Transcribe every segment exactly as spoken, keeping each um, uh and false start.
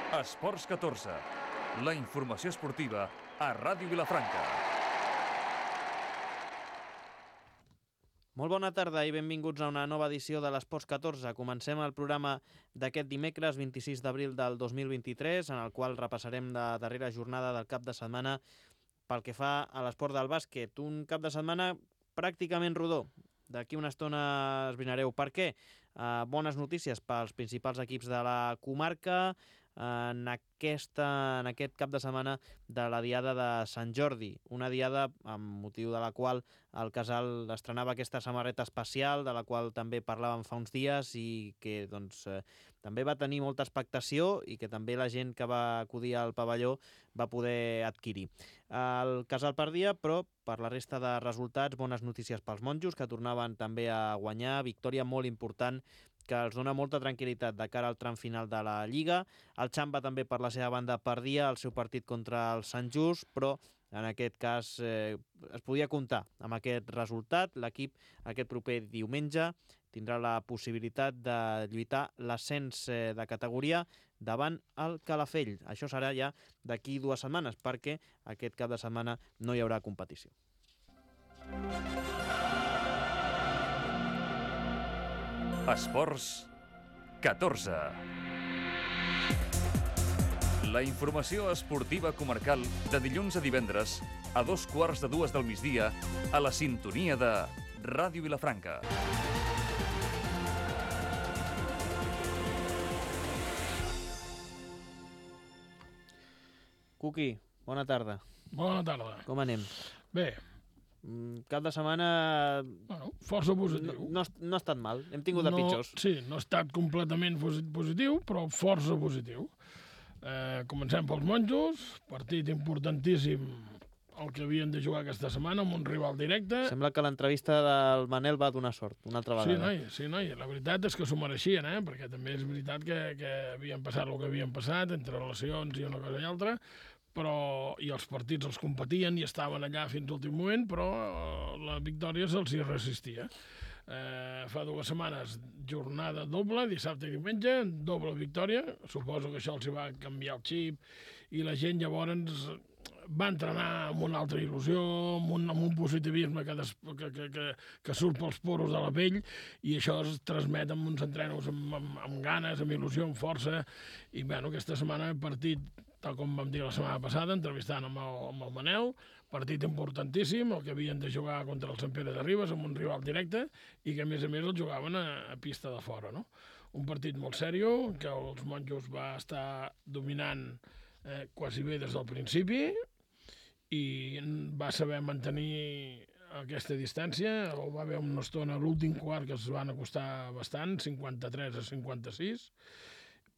Esports catorze, la informació esportiva a Ràdio Vilafranca. Molt bona tarda i benvinguts a una nova edició de l'Esports catorze. Comencem el programa d'aquest dimecres vint-i-sis d'abril del dos mil vint-i-tres, en el qual repassarem la darrera jornada del cap de setmana pel que fa a l'esport del bàsquet. Un cap de setmana pràcticament rodó. D'aquí una estona esbrinareu per què. Uh, bones notícies pels principals equips de la comarca en, aquesta, en aquest cap de setmana de la Diada de Sant Jordi. Una diada amb motiu de la qual el Casal estrenava aquesta samarreta especial, de la qual també parlàvem fa uns dies i que doncs, eh, també va tenir molta expectació i que també la gent que va acudir al pavelló va poder adquirir. El Casal perdia, però per la resta de resultats, bones notícies pels monjos, que tornaven també a guanyar. Victòria molt important que els dona molta tranquil·litat de cara al tram final de la Lliga. El Xamba també per la seva banda perdia el seu partit contra el Sant Just, però en aquest cas eh, es podia comptar amb aquest resultat. L'equip aquest proper diumenge tindrà la possibilitat de lluitar l'ascens eh, de categoria davant el Calafell. Això serà ja d'aquí dues setmanes, perquè aquest cap de setmana no hi haurà competició. Esports catorze. La informació esportiva comarcal de dilluns a divendres a dos quarts de dues del migdia a la sintonia de Ràdio Vilafranca. Cuqui, bona tarda. Bona tarda. Com anem? Bé. Cap de setmana... Bueno, força positiu. No, no, no ha estat mal, hem tingut de no, pitjors. Sí, no ha estat completament positiu, però força positiu. Eh, comencem pels monjos, partit importantíssim el que havien de jugar aquesta setmana amb un rival directe. Sembla que l'entrevista del Manel va donar sort, una altra vegada. Sí, noi, sí, noi. La veritat és que s'ho mereixien, eh? Perquè també és veritat que, que havien passat el que havien passat, entre relacions i una cosa i altra, però i els partits els competien i estaven allà fins a l'últim moment, però la victòria se'ls hi resistia. Eh, fa dues setmanes jornada doble, dissabte i diumenge, doble victòria. Suposo que això els hi va canviar el xip i la gent llavors va entrenar amb una altra il·lusió, amb un, amb un positivisme que, des, que, que, que, que surt pels poros de la pell, i això es transmet amb uns entrenos amb, amb, amb ganes, amb il·lusió, amb força. I bueno, aquesta setmana hem partit, tal com vam dir la setmana passada, entrevistant amb el, amb el Manel, partit importantíssim, el que havien de jugar contra el Sant Pere de Ribes, amb un rival directe, i que a més a més el jugaven a, a pista de fora, no? Un partit molt seriós, que els monjos va estar dominant eh, quasi bé des del principi, i va saber mantenir aquesta distància. O va haver una estona a l'últim quart que es van acostar bastant, cinquanta-tres a cinquanta-sis,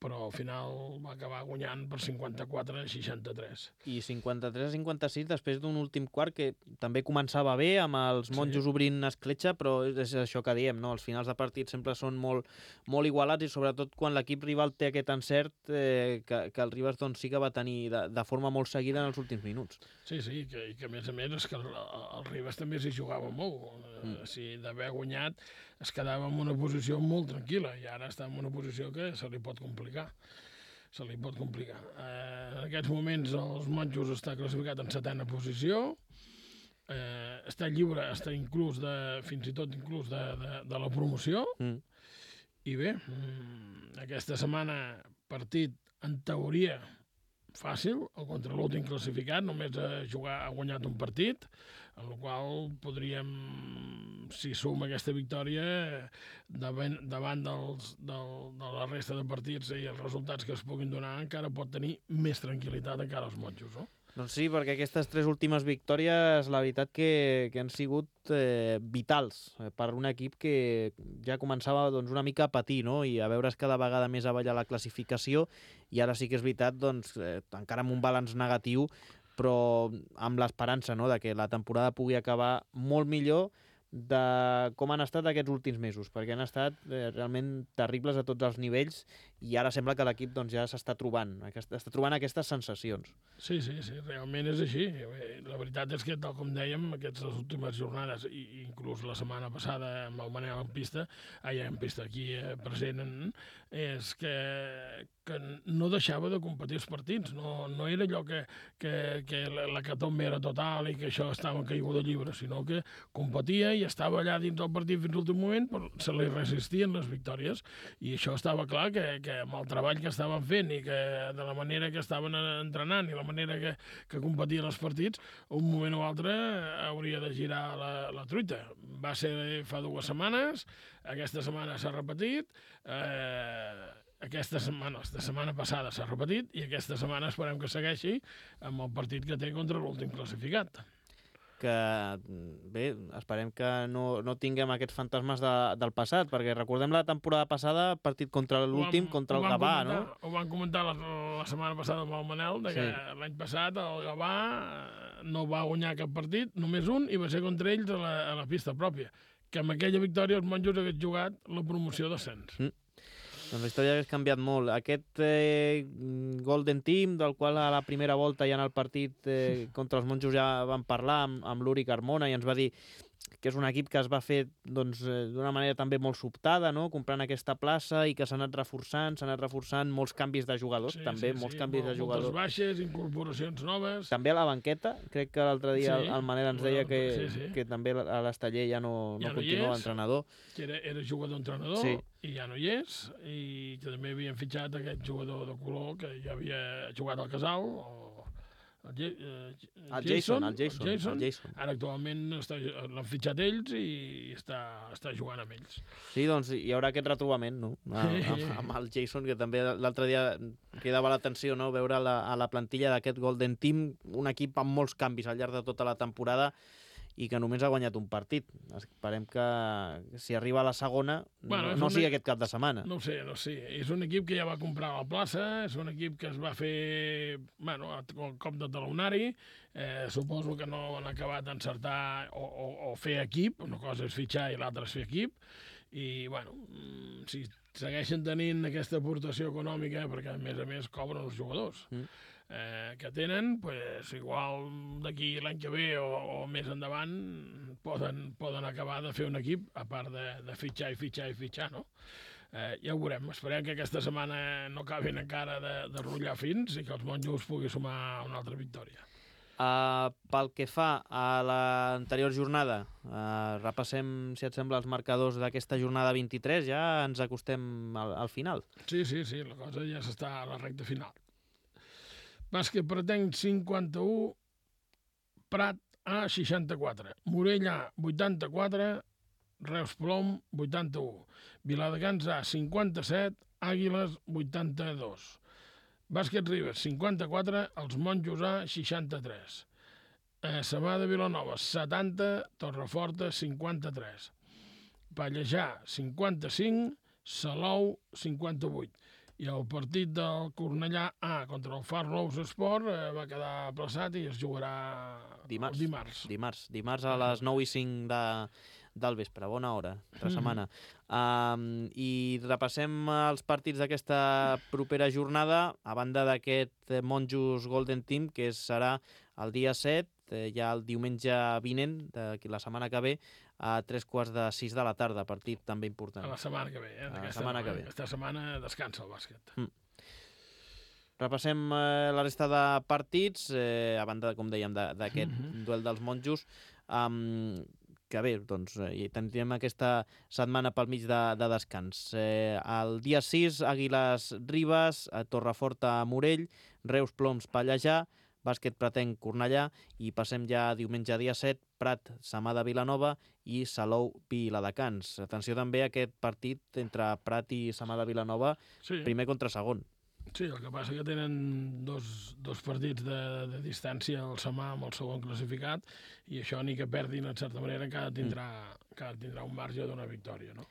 però al final va acabar guanyant per cinquanta-quatre a seixanta-tres. I cinquanta-tres a cinquanta-sis després d'un últim quart que també començava bé, amb els monjos sí. obrint escletxa, però és això que diem, no? Els finals de partit sempre són molt, molt igualats, i sobretot quan l'equip rival té aquest encert eh, que, que el Ribes doncs, sí que va tenir de, de forma molt seguida en els últims minuts. Sí, sí, que, i que a més a més és que el, el Ribes també s'hi jugava molt. Mm. Si d'haver guanyat es quedava en una posició molt tranquil·la, i ara està en una posició que se li pot complicar. Se li pot complicar. Eh, en aquests moments els monjos està classificat en setena posició, eh, està lliure, està inclús de, fins i tot inclús de, de, de la promoció, mm. i bé, aquesta setmana partit en teoria fàcil, contra l'últim classificat, només ha, jugar, ha guanyat un partit, en el qual podríem, si suma aquesta victòria, davant, davant dels, del, de la resta de partits i els resultats que es puguin donar, encara pot tenir més tranquil·litat encara als monjos, no? Doncs sí, perquè aquestes tres últimes victòries, la veritat que, que han sigut eh, vitals per un equip que ja començava doncs, una mica a patir, no? I a veure's cada vegada més avall a la classificació, i ara sí que és veritat, doncs, eh, encara amb un balanç negatiu, però amb l'esperança, no?, de que la temporada pugui acabar molt millor, de com han estat aquests últims mesos, perquè han estat eh, realment terribles a tots els nivells i ara sembla que l'equip doncs, ja s'està trobant, aquest, està trobant aquestes sensacions. Sí, sí, sí, realment és així. La veritat és que, tal com dèiem, aquestes últimes jornades, i inclús la setmana passada amb el Manel en pista, ai, en pista aquí eh, present, és que, que no deixava de competir els partits. No, no era allò que, que, que la catombe era total i que això estava en caiguda lliure, sinó que competia i estava allà dins del partit fins a l'últim moment, però se li resistien les victòries. I això estava clar que, que amb el treball que estaven fent i que de la manera que estaven entrenant i la manera que, que competien els partits, un moment o altre hauria de girar la, la truita. Va ser fa dues setmanes, aquesta setmana s'ha repetit, eh, aquesta setmana, la setmana passada s'ha repetit i aquesta setmana esperem que segueixi amb el partit que té contra l'últim classificat. Que, bé, esperem que no, no tinguem aquests fantasmes de, del passat, perquè recordem la temporada passada, partit contra l'últim, contra el Gavà, comentar, no? Ho van comentar la, la setmana passada amb el Manel, de que sí. L'any passat el Gavà no va guanyar cap partit, només un, i va ser contra ells a la, a la pista pròpia, que amb aquella victòria els monjos hagués jugat la promoció d'ascens. Mm. Doncs la història hauria canviat molt. Aquest eh, Golden Team, del qual a la primera volta ja en el partit eh, contra els monjos ja vam parlar amb, amb l'Uri Carmona i ens va dir que és un equip que es va fer doncs, d'una manera també molt sobtada, no? Comprant aquesta plaça i que s'ha anat reforçant, s'ha anat reforçant molts canvis de jugadors, sí, també sí, molts sí, canvis de jugadors. Moltes baixes, incorporacions noves. També a la banqueta, crec que l'altre dia sí, el Manel ens deia que, sí, sí. que també a l'Esteller ja no, ja no, no continua l'entrenador. Que era, era jugador-entrenador sí. I ja no hi és, i que també havien fitxat aquest jugador de color que ja havia jugat al Casal, o el, J eh, el Jason, Jason, el Jason, el Jason. El Jason. Ara actualment l'han fitxat ells i està, està jugant amb ells. Sí, doncs hi haurà aquest retrobament, no? Amb, amb, amb el Jason, que també l'altre dia cridava l'atenció, no? Veure la, a la plantilla d'aquest Golden Team un equip amb molts canvis al llarg de tota la temporada i que només ha guanyat un partit. Esperem que si arriba a la segona bueno, no, no sigui aquest cap de setmana. No ho sé, no sé. És un equip que ja va comprar la plaça, és un equip que es va fer bueno, el cop de talonari, eh, suposo que no han acabat d'encertar o, o, o fer equip, una cosa és fitxar i l'altra és fer equip, i bueno, si segueixen tenint aquesta aportació econòmica, perquè a més a més cobren els jugadors, mm. Eh, que tenen, pues, igual d'aquí l'any que ve o, o més endavant poden, poden acabar de fer un equip, a part de, de fitxar i fitxar i fitxar, no? Eh, ja ho veurem. Esperem que aquesta setmana no acabin encara de, de rotllar fins i que els monjos pugui sumar una altra victòria. Uh, pel que fa a l'anterior jornada, uh, repassem, si et sembla, els marcadors d'aquesta jornada vint-i-tres, ja ens acostem al, al final. Sí, sí, sí, la cosa ja s'està a la recta final. Bàsquet Pretenc cinquanta-u, Prat A seixanta-quatre, Morell A vuitanta-quatre, Reus Plom vuitanta-u, Viladecans A cinquanta-set, Àguiles vuitanta-dos, Bàsquet Ribes cinquanta-quatre, Els Monjos A seixanta-tres, eh, Sabà de Vilanova setanta, Torreforta cinquanta-tres, Pallejà cinquanta-cinc, Salou cinquanta-vuit. I el partit del Cornellà A contra el Far Rous Esport eh, va quedar aplaçat i es jugarà dimarts. dimarts. Dimarts, dimarts a les nou i cinc de, del vespre, bona hora, altra setmana. Mm. Um, I repassem els partits d'aquesta propera jornada, a banda d'aquest Monjos Golden Team, que serà el dia set, eh, ja el diumenge vinent, de la setmana que ve, a tres quarts de sis de la tarda, partit també important. A la setmana que ve, eh? A la setmana que ve. Aquesta setmana descansa el bàsquet. Mm. Repassem eh, la resta de partits, eh, a banda, com dèiem, d'aquest mm-hmm. duel dels monjos, um, que bé, doncs, eh, tindrem aquesta setmana pel mig de, de descans. Eh, el dia sis, Àguiles Ribes, a Torreforta Morell, Reus Ploms Pallejà, Bàsquet Pretenc Cornellà, i passem ja diumenge dia set, Prat Samà de Vilanova i Salou Viladecans. Atenció també a aquest partit entre Prat i Samà de Vilanova, sí. Primer contra segon. Sí, el que passa que tenen dos, dos partits de, de distància el Samà amb el segon classificat i això ni que perdin en certa manera encara tindrà, mm. encara tindrà un marge d'una victòria, no?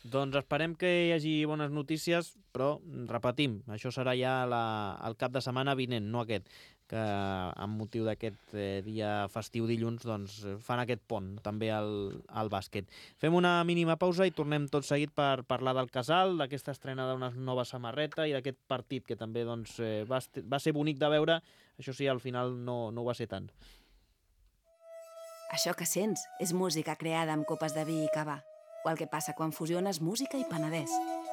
Doncs esperem que hi hagi bones notícies, però repetim, això serà ja la, el cap de setmana vinent, no aquest, que amb motiu d'aquest eh, dia festiu dilluns doncs, fan aquest pont també al, al bàsquet. Fem una mínima pausa i tornem tot seguit per parlar del Casal, d'aquesta estrena d'una nova samarreta i d'aquest partit que també doncs, eh, va, va ser bonic de veure, això sí, al final no, no ho va ser tant. Això que sents és música creada amb copes de vi i cava, o el que passa quan fusiones música i Penedès.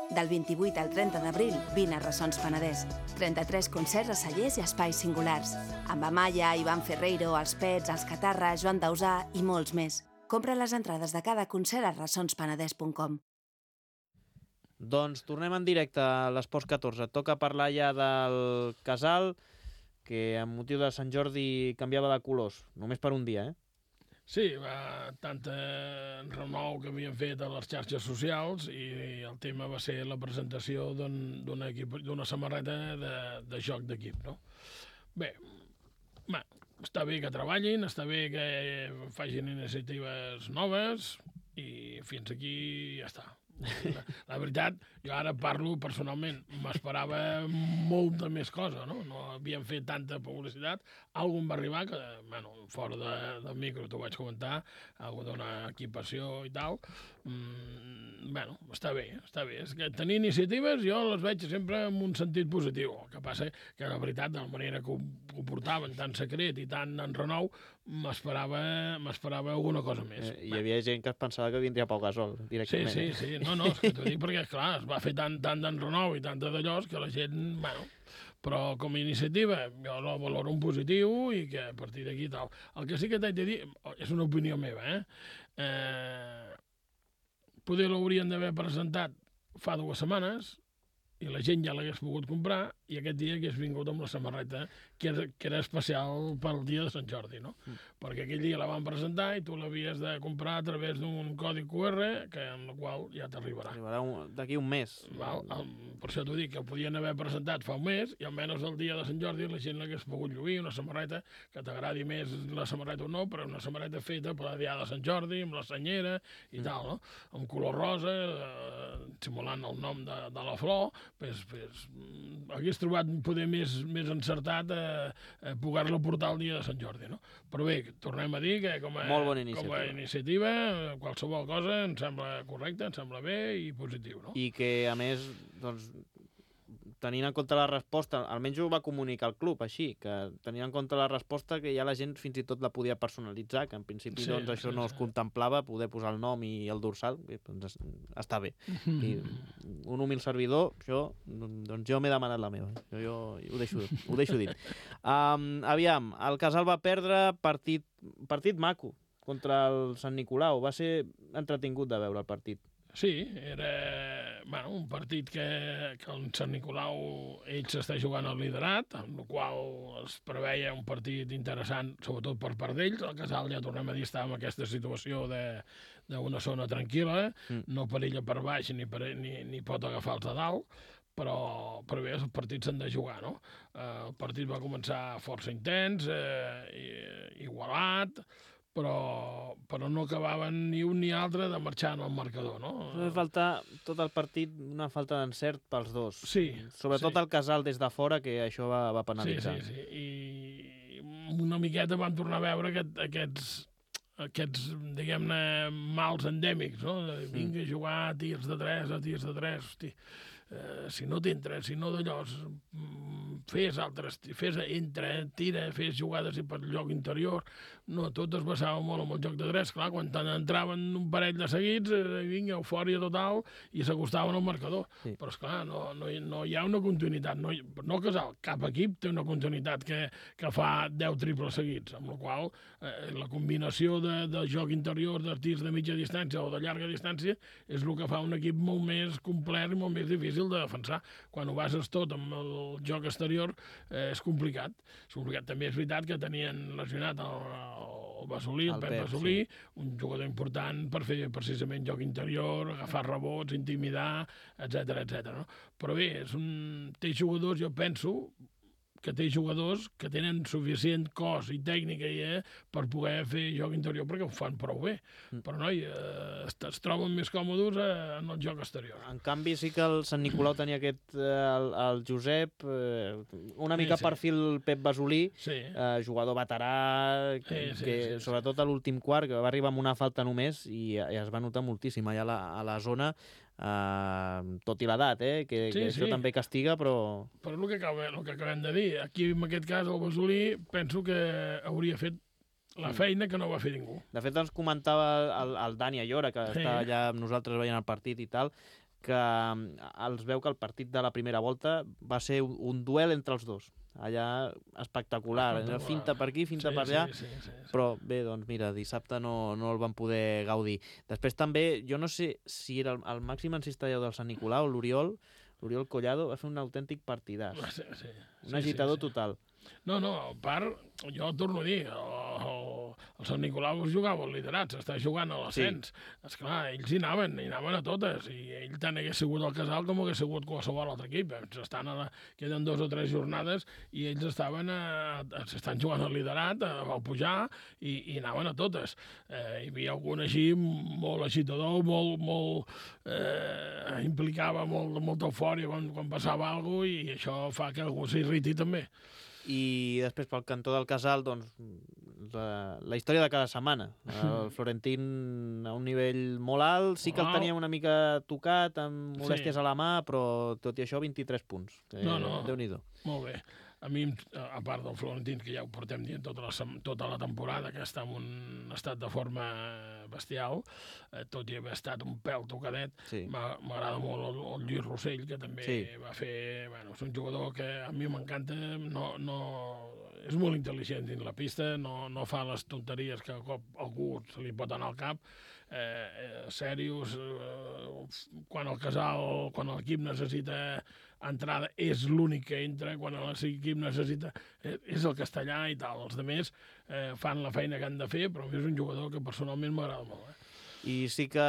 Del vint-i-vuit al trenta d'abril, vine a Ressons Penedès. trenta-tres concerts a cellers i espais singulars. Amb Amaya, Ivan Ferreiro, Els Pets, Els Catarra, Joan Dausà i molts més. Compra les entrades de cada concert a ressons penedès punt com. Doncs tornem en directe a l'Esports catorze. Toca parlar ja del Casal, que amb motiu de Sant Jordi canviava de colors, només per un dia, eh? Sí, va, tant eh, renou que havien fet a les xarxes socials i el tema va ser la presentació d'una d'un, samarreta de, de joc d'equip, no? Bé, va, està bé que treballin, està bé que facin iniciatives noves i fins aquí ja està. La, la veritat, jo ara parlo personalment, m'esperava molta més cosa, no? No havien fet tanta publicitat. Algú em va arribar, que, bueno, fora de, del micro t'ho vaig comentar, algú d'una equipació i tal. Mm, bueno, està bé, està bé. És que tenir iniciatives jo les veig sempre en un sentit positiu. El que passa que, la veritat, de la manera que ho, ho portaven, tan secret i tan en renou, m'esperava m'esperava alguna cosa més. Eh, hi havia gent que es pensava que vindria Pau Gasol, directament. Sí, sí, sí. No, no, és que t'ho dic perquè, clar, es va fer tant, tant d'enrenou i tant de d'allò que la gent, bueno, però com a iniciativa jo la valoro en positiu i que a partir d'aquí tal. El que sí que t'haig de dir, és una opinió meva, eh? eh poder l'haurien d'haver presentat fa dues setmanes i la gent ja l'hagués pogut comprar i aquest dia hagués vingut amb la samarreta que era, que era especial pel dia de Sant Jordi, no? Mm. Perquè aquell dia la van presentar i tu l'havies de comprar a través d'un codi Q R que, en el qual ja t'arribarà. Arribarà d'aquí un mes. Val? Per això t'ho dic, que ho podien haver presentat fa un mes i almenys el dia de Sant Jordi la gent l'hagués pogut lluir, una samarreta que t'agradi més la samarreta o no, però una samarreta feta per el dia de Sant Jordi, amb la senyera i mm. tal, no? Amb color rosa, eh, simulant el nom de, de la flor, pues, pues, hagués trobat poder més, més encertat eh, eh, poder-la portar el dia de Sant Jordi, no? Però bé, tornem a dir que com a, Molt bona iniciativa. com a iniciativa qualsevol cosa em sembla correcta, em sembla bé i positiu, no? I que, a més, doncs, tenint en compte la resposta, almenys ho va comunicar el club així, que tenint en compte la resposta que ja la gent fins i tot la podia personalitzar, que en principi sí, doncs, això sí, no sí. es contemplava, poder posar el nom i el dorsal, bé, doncs està bé. I un humil servidor, això, doncs jo m'he demanat la meva, jo, jo ho, deixo, ho deixo dit. Um, aviam, el Casal va perdre partit, partit maco contra el Sant Nicolau, va ser entretingut de veure el partit. Sí, era bueno, un partit que, que el Sant Nicolau ell s'està jugant al liderat, amb el qual es preveia un partit interessant, sobretot per part d'ells. El Casal, ja tornem a dir, està en aquesta situació d'una zona tranquil·la, mm. no perilla per baix ni, per, ni, ni pot agafar els de dalt, però, però bé, els partits s'han de jugar, no? Eh, el partit va començar força intens, eh, igualat, però, però no acabaven ni un ni altre de marxar en el marcador, no? Va faltar tot el partit una falta d'encert pels dos. Sí. Sobretot sí. el Casal des de fora, que això va, va penalitzar. Sí, sí, sí. I una miqueta vam tornar a veure aquest, aquests, aquests, diguem-ne, mals endèmics, no? De, vinga a jugar a tirs de tres, a tirs de tres, hosti. Eh, si no t'entres, si no d'allò, fes altres, fes entra, tira, fes jugades per lloc interior. No, tot es basava molt en el joc de tres. Clar, quan entraven un parell de seguits, eh, vinga, eufòria total, i s'acostaven al marcador. Sí. Però, esclar, no, no, no hi ha una continuïtat. No, no Casal, cap equip té una continuïtat que, que fa deu triples seguits, amb la qual eh, la combinació de, de joc interior, de tirs de mitja distància o de llarga distància, és el que fa un equip molt més complet i molt més difícil de defensar. Quan ho bases tot amb el joc exterior, eh, és complicat. És complicat. També és veritat que tenien lesionat el, el Basolí, el, el Pep Basolí, sí. un jugador important per fer precisament joc interior, agafar rebots, intimidar, etcètera, etcètera. No? Però bé, és un... té jugadors, jo penso, que té jugadors que tenen suficient cos i tècnica eh, per poder fer joc interior perquè ho fan prou bé. Mm. Però, noi, eh, es, es troben més còmodes eh, en el joc exterior. En canvi, sí que el Sant Nicolau tenia aquest, eh, el, el Josep, eh, una mica sí, sí. perfil Pep Basolí, sí. eh, jugador veterà, que, sí, sí, que sí, sobretot sí. a l'últim quart, que va arribar amb una falta només i, i es va notar moltíssim allà a la, a la zona, Uh, tot i l'edat, eh? que, sí, que això sí. també castiga, però... Però el que, acabem, el que acabem de dir, aquí en aquest cas el Basolí penso que hauria fet la feina que no va fer ningú. De fet ens comentava el, el Dani Ayora, que sí. està allà amb nosaltres veient el partit i tal, que els veu que el partit de la primera volta va ser un, un duel entre els dos. Allà espectacular, espectacular. Finta per aquí, finta sí, per allà, sí, sí, sí, sí. Però bé, doncs mira, dissabte no, no el van poder gaudir. Després també, jo no sé si era el, el màxim encistador del Sant Nicolau, l'Oriol, l'Oriol Collado, va fer un autèntic partidàs. Sí, sí. Un agitador sí, sí. total. No, no, a part, jo torno a dir, el, el, el Sant Nicolau es jugava al liderat, s'està jugant a l'ascens. Sí. Esclar, ells hi anaven, hi anaven a totes, i ell tant hagués sigut el Casal com hagués sigut qualsevol altre equip. Estan a la, queden dos o tres jornades i ells estaven a, a, s'estan jugant al liderat, a, a pujar, i, i anaven a totes. Eh, hi havia algun així molt agitador, molt, molt eh, implicava molt, molta eufòria quan, quan passava alguna cosa, i això fa que algú s'irriti també. I després pel cantó del Casal, doncs, la, la història de cada setmana. El Florentín a un nivell molt alt, sí que el tenia una mica tocat, amb molèsties sí. a la mà, però tot i això vint-i-tres punts. Eh, no, no, Déu-n'hi-do. Molt bé. A mi, a part del Florentín, que ja ho portem dient tota la, tota la temporada, que està en un estat de forma bestial, eh, tot i haver estat un pèl tocadet, sí. m'agrada molt el, el Lluís Rossell, que també sí. va fer... Bueno, és un jugador que a mi m'encanta, no, no, és molt intel·ligent dins la pista, no, no fa les tonteries que a cop algú se li pot anar al cap, eh, eh, serios, eh, quan el Casal, quan l'equip necessita entrada, és l'únic que entra, quan l'equip necessita, eh, és el castellà i tal. Els altres eh, fan la feina que han de fer, però a mi és un jugador que personalment m'agrada molt. Eh? I sí que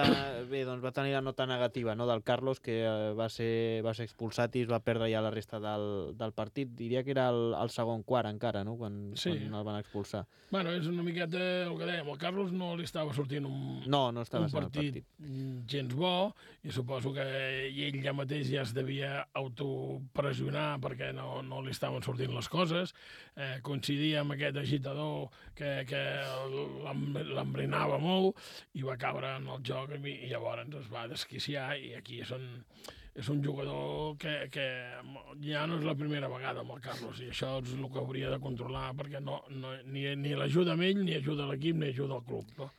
bé, doncs va tenir la nota negativa, no?, del Carlos, que eh, va, ser, va ser expulsat i es va perdre ja la resta del, del partit. Diria que era el, el segon quart encara, no?, quan, sí. quan el van expulsar. Bueno, és una miqueta el que dèiem. El Carlos no li estava sortint un, no, no estava un partit, partit gens bo, i suposo que ell ja mateix ja es devia autopressionar perquè no, no li estaven sortint les coses. Eh, coincidia amb aquest agitador que, que l'embrinava molt i va caure en el joc i llavors es va desquiciar, i aquí és un, és un jugador que, que ja no és la primera vegada amb el Carlos, i això és el que hauria de controlar, perquè no, no, ni, ni l'ajuda a ell, ni ajuda a l'equip, ni ajuda al club. No?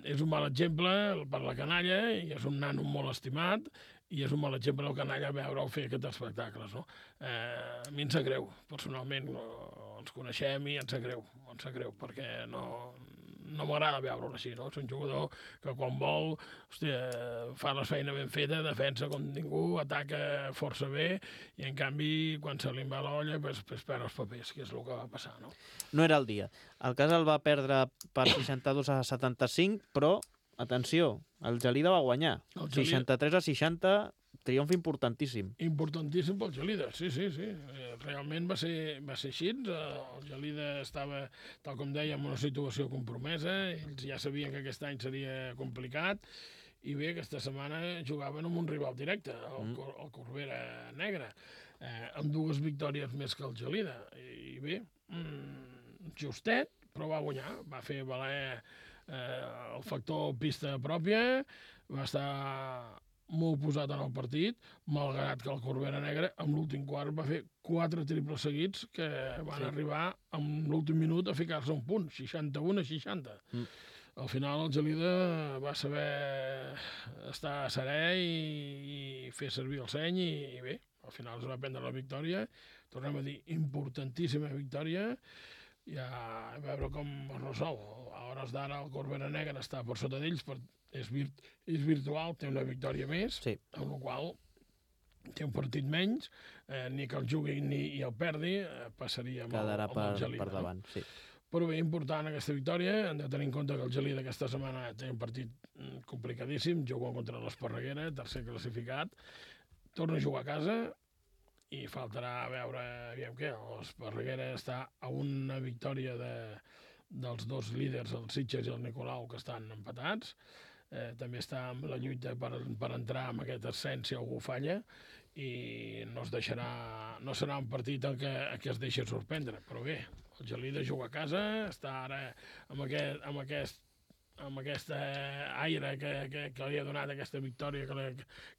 És un mal exemple per la canalla, i és un nano molt estimat, i és un mal exemple el canalla veure-ho fer aquests espectacles. No? Eh, a mi em sap greu, personalment, no, ens coneixem i em sap greu, em sap greu, perquè no... no m'agrada veure-ho així, no? És un jugador que quan vol, hòstia, fa la feina ben feta, defensa com ningú, ataca força bé, i en canvi, quan se li va l'olla, pues, pues perd els papers, que és el que va passar, no? No era el dia. El Casal va perdre per seixanta-dos a setanta-cinc, però, atenció, el Gelida va guanyar. Gelida... seixanta-tres a seixanta, triomf importantíssim. Importantíssim pel Gelida, sí, sí, sí. Realment va ser, va ser així. El Gelida estava, tal com dèiem, en una situació compromesa. Ells ja sabien que aquest any seria complicat. I bé, aquesta setmana jugaven amb un rival directe, el, mm. el Corbera Negra, eh, amb dues victòries més que el Gelida. I bé, mm, justet, però va guanyar. Va fer valer eh, el factor pista pròpia, va estar molt posat en el partit, malgrat que el Corbera Negra en l'últim quart va fer quatre triples seguits que van sí. arribar en l'últim minut a ficar-se un punt, seixanta-un a seixanta. Mm. Al final el Gelida va saber estar serè i, i fer servir el seny, i, i bé, al final es va prendre la victòria. Tornem a dir, importantíssima victòria, ja a veure com es resol. A hores d'ara el Corbera Negra està per sota d'ells, per És, virt, és virtual, té una victòria més, sí. amb la qual té un partit menys, eh, ni que el jugui ni i el perdi, eh, passaria amb Quedarà el, amb per, el Gelida. per davant, sí. Però bé, important aquesta victòria, hem de tenir en compte que el Gelida aquesta setmana té un partit complicadíssim, juga contra l'Esparreguera, tercer classificat, torna a jugar a casa, i faltarà a veure, aviam què, l'Esparreguera està a una victòria de, dels dos líders, el Sitges i el Nicolau, que estan empatats. Eh, també està en la lluita per, per entrar en aquest ascens si algú falla, i no es deixarà, no serà un partit en què, en què es deixi sorprendre, però bé, el Gelida juga a casa, està ara amb aquest, amb aquest, amb aquest aire que, que, que li ha donat aquesta victòria que li,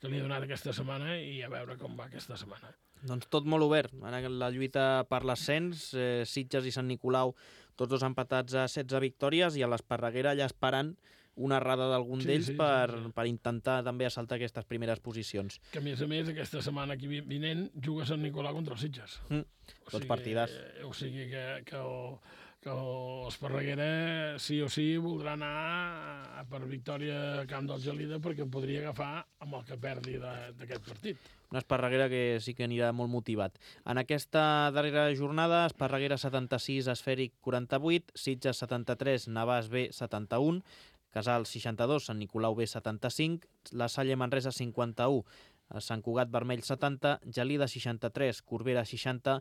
que li ha donat aquesta setmana, i a veure com va aquesta setmana. Doncs tot molt obert. Ara la lluita per l'ascens, eh, Sitges i Sant Nicolau, tots dos empatats a setze victòries, i a l'Esparreguera allà esperant una errada d'algun sí, d'ells sí, per, sí, sí. per intentar també assaltar aquestes primeres posicions. Que, a més a més, aquesta setmana aquí vinent juga Sant Nicolau contra els Sitges. Mm, tots partidars. Eh, o sigui que, que, el, que l'Esparreguera sí o sí voldrà anar per victòria a camp del Gelida, perquè podria agafar amb el que perdi d'aquest partit. Una Esparreguera que sí que anirà molt motivat. En aquesta darrera jornada, Esparreguera setanta-sis, Esfèric quaranta-vuit, Sitges setanta-tres, Navàs B setanta-un, Casal seixanta-dos, Sant Nicolau B setanta-cinc, La Salle Manresa cinquanta-u, Sant Cugat Vermell setanta, Gelida seixanta-tres, Corbera seixanta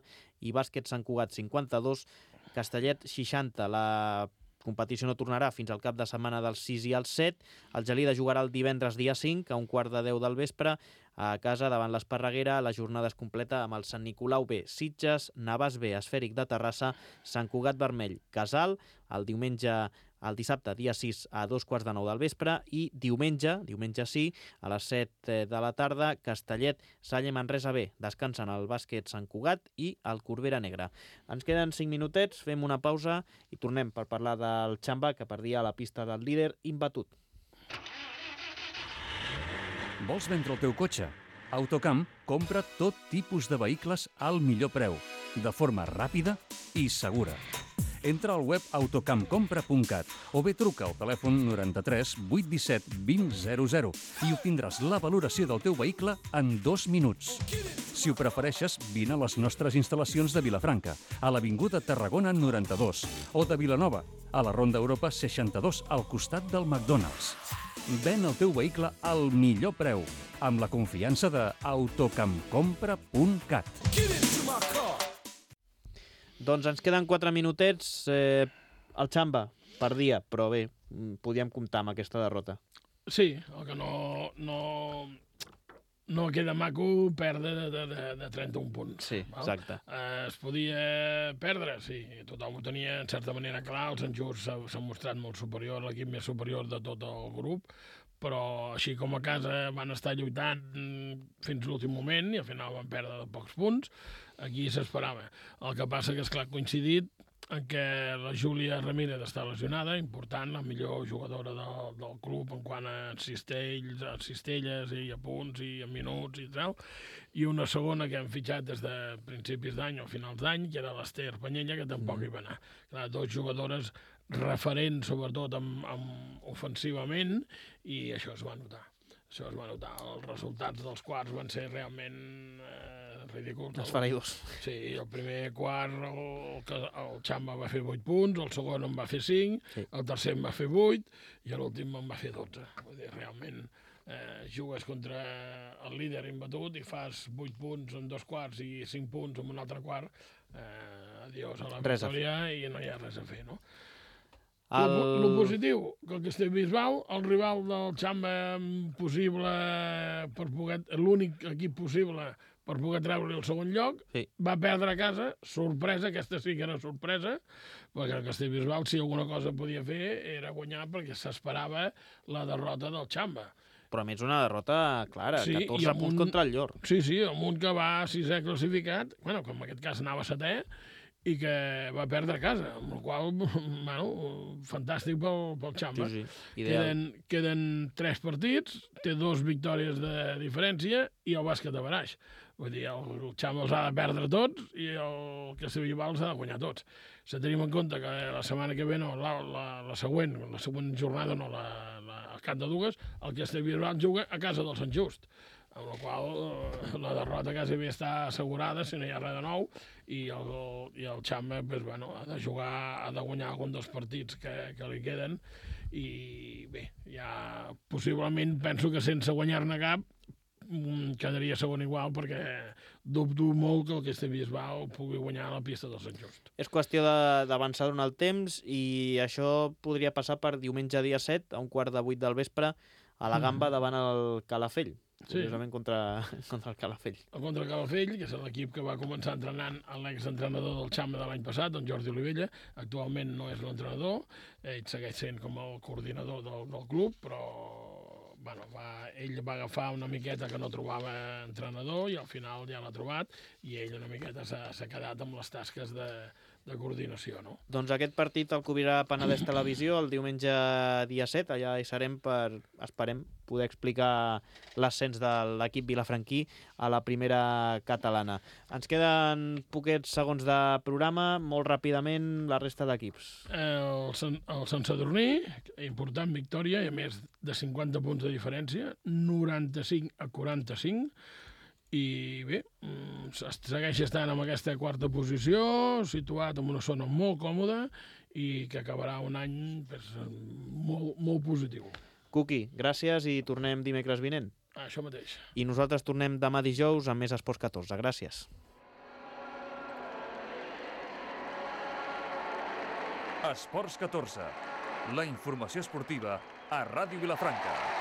i Bàsquet Sant Cugat cinquanta-dos, Castellet seixanta. La competició no tornarà fins al cap de setmana del sis i el set. El Gelida jugarà el divendres dia cinc a un quart de deu del vespre a casa davant l'Esparreguera. La jornada es completa amb el Sant Nicolau B, Sitges, Navàs B, Esfèric de Terrassa, Sant Cugat Vermell, Casal, el diumenge el dissabte, dia sis, a dos quarts de nou del vespre, i diumenge, diumenge sí, a les set de la tarda, Castellet, Salle Manresa B. Descansen el Bàsquet Sant Cugat i el Corbera Negra. Ens queden cinc minutets, fem una pausa i tornem per parlar del Xamba, que perdia la pista del líder imbatut. Vols vendre el teu cotxe? Autocamp compra tot tipus de vehicles al millor preu, de forma ràpida i segura. Entra al web autocamp compra punt cat o bé truca al telèfon noranta-tres vuit disset vint zero zero i obtindràs la valoració del teu vehicle en dos minuts. Si ho prefereixes, vine a les nostres instal·lacions de Vilafranca, a l'Avinguda Tarragona noranta-dos, o de Vilanova, a la Ronda Europa seixanta-dos, al costat del McDonald's. Ven el teu vehicle al millor preu, amb la confiança de autocamp compra punt cat. Doncs ens queden quatre minutets. Eh, el Xamba perdia, però bé, podíem comptar amb aquesta derrota. Sí, el que no, no, no queda maco perdre de, de, de, de trenta-un punts. Sí, val? exacte. Eh, es podia perdre, sí, tothom ho tenia en certa manera clar, el Sant Just s'ha mostrat molt superior, l'equip més superior de tot el grup, però així com a casa van estar lluitant fins l'últim moment i al final van perdre de pocs punts. Aquí s'esperava. El que passa que, esclar, coincidit en què la Júlia Ramírez està lesionada, important, la millor jugadora del, del club en quant a cistells, a cistelles i a punts i a minuts i tal, i una segona que han fitxat des de principis d'any o finals d'any, que era l'Ester Panyella, que tampoc mm. hi va anar. Clar, dos jugadores referents, sobretot amb, amb ofensivament, i això es va notar. Això es va notar. Els resultats dels quarts van ser realment eh, ridículs. Esfereïdors. Sí, el primer quart el, el Xamba va fer vuit punts, el segon en va fer cinc, sí. El tercer en va fer vuit i l'últim en va fer dotze. Vull dir, realment eh, jugues contra el líder imbatut i fas vuit punts en dos quarts i cinc punts en un altre quart, eh, adiós a la victòria i no hi ha res a fer, no? El... Lo positiu, que el Castellbisbal, el rival del Xamba possible per poder, l'únic equip possible per poder treure el segon lloc, sí. Va perdre a casa, sorpresa, aquesta sí que era sorpresa, perquè el Castellbisbal, si alguna cosa podia fer, era guanyar perquè s'esperava la derrota del Xamba. Però a més una derrota clara, sí, catorze punts un... contra el Llor. Sí, sí, amb un que va sisè classificat, bueno, que en aquest cas anava setè, i que va perdre a casa, amb la qual cosa, bueno, fantàstic pel, pel Xamba. Sí, sí. Queden, queden tres partits, té dos victòries de diferència i el bàsquet a baraix. Vull dir, el, el Xamba els ha de perdre tots i el Castellbisbal els ha de guanyar tots. Si tenim en compte que la setmana que ve, no, la, la, la següent, la següent jornada, no, la, la, el Camp de Dugues, el Castellbisbal juga a casa del Sant Just, amb la qual eh, la derrota quasi bé està assegurada si no hi ha res de nou, i el, i el Xamba pues, bueno, ha de jugar, ha de guanyar algun dels partits que, que li queden, i bé, ja possiblement penso que sense guanyar-ne cap quedaria segon igual, perquè dubto molt que el Castellbisbal pugui guanyar la pista del Sant Just. És qüestió d'avançar durant el temps i això podria passar per diumenge dia set, a un quart de vuit del vespre, a la Gamba mm. davant el Calafell. Curiosament sí. contra, contra el Calafell. Contra el Calafell, que és l'equip que va començar entrenant l'exentrenador del Xama de l'any passat, en Jordi Olivella. Actualment no és l'entrenador, ell segueix sent com el coordinador del, del club, però bueno, va, ell va agafar una miqueta que no trobava entrenador i al final ja l'ha trobat i ell una miqueta s'ha quedat amb les tasques de, de coordinació, no? Doncs aquest partit el cobrirà Penedès Televisió el diumenge dia set, allà hi serem per, esperem, poder explicar l'ascens de l'equip vilafranquí a la primera catalana. Ens queden poquets segons de programa, molt ràpidament la resta d'equips. El, el Sant Sadurní, important victòria, i a més de cinquanta punts de diferència, noranta-cinc a quaranta-cinc, i bé, segueix estant en aquesta quarta posició, situat en una zona molt còmoda i que acabarà un any pues, molt, molt positiu. Cuqui, gràcies i tornem dimecres vinent. Això mateix. I nosaltres tornem demà dijous amb més Esports catorze. Gràcies. Esports catorze. La informació esportiva a Ràdio Vilafranca.